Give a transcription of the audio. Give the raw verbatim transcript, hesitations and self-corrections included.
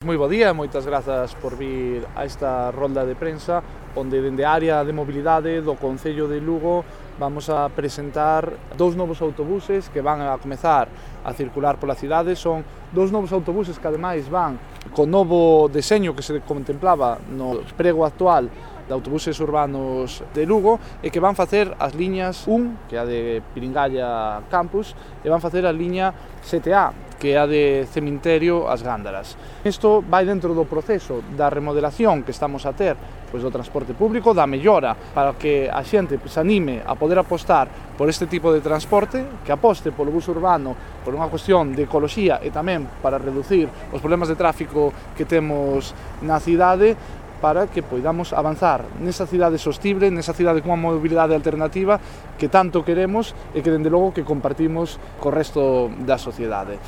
Moi bo día, moitas grazas por vir a esta rolda de prensa onde dende a área de mobilidade do Concello de Lugo vamos a presentar dous novos autobuses que van a comezar a circular pola cidade. Son dous novos autobuses que ademais van con novo deseño que se contemplaba no prego actual de autobuses urbanos de Lugo e que van facer as liñas un, que é a de Piringalla Campus, e van facer a liña sete A, que é a de Cemiterio As Gándaras. Isto vai dentro do proceso da remodelación que estamos a ter pois, do transporte público, da mellora para que a xente se anime a poder apostar por este tipo de transporte, que aposte polo bus urbano por unha cuestión de ecoloxía e tamén para reducir os problemas de tráfico que temos na cidade, para que poidamos avanzar nesa cidade sostible, nesa cidade cunha mobilidade alternativa que tanto queremos e que, dende logo, que compartimos co resto da sociedade.